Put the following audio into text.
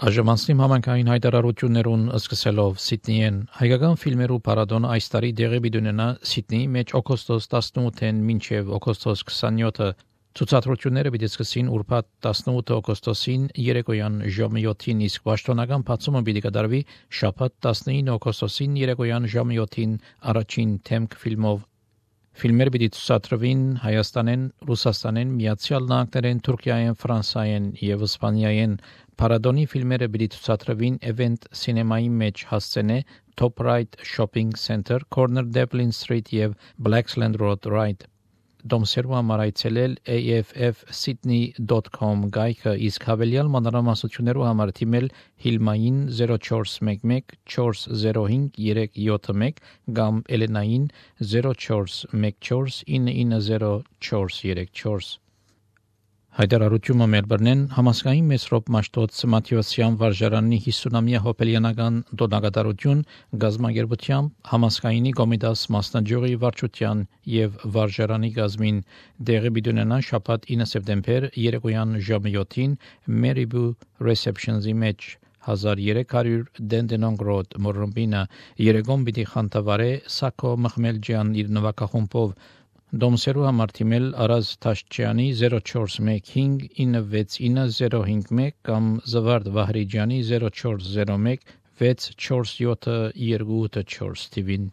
Այժմ համանքային հայտարարություններուն սկսելով Սիդնիեն հայկական ֆիլմերու փառատոնը այս տարի դեղի պիտի Սիդնեի մեջ օգոստոս 18-ին մինչև օգոստոս 27-ը ցուցադրությունները պիտի սկսին ուրբաթ 18 օգոստոսին երեկոյան ժամը 7-ին, իսկ պաշտոնական բացումը պիտի կատարվի շաբաթ 19 օգոստոսին երեկոյան ժամը 7-ին առաջին թեմք ֆիլմով։ Ֆիլմերը պիտի ցուցադրվին Հայաստանեն, Ռուսաստանեն, Միացյալ Նահանգներեն, Թուրքիայեն, Ֆրանսիայեն եւ Իսպանիայեն։ Փառատոնի ֆիլմերը պիտի ցուցադրվին Event Cinema-ի մեջ հասցենե Top Right Shopping Center, Corner Devlin Street եւ Blaxland Road Right։ Դոմսերու համար այցելել affsydney.com գայքը, իսկ հավելյալ մանրամասնություններու համար թիմել Հիլմային 0411 405 371 կամ Էլենային 0414 990 434։ Հայտարարությունը Մելբուրնեն համասկային Մեսրոպ Մաշտոց Մաթեոսյան վարժարանի 50-ամյա հոբելյանական դոնագատարություն գազագերբությամբ համասկայինի Կոմիտաս մասնաճյուղի վարչության եւ վարժարանի գազմին դեղի պիտի շաբաթ 9 սեպտեմբեր երեկոյան ժամը 7-ին Meriboo Receptions-ի մեջ 1300 Dandenong Road Մորոմբինա երեկոմ պիտի խանդավարե Սակո Մխմելջյան իր նվագախումբով Դոմսերու համար թիմել Արազ Թաշչյանի 0415 969 կամ Զվարդ Վահրիջյանի 0401 647 284 TV-ին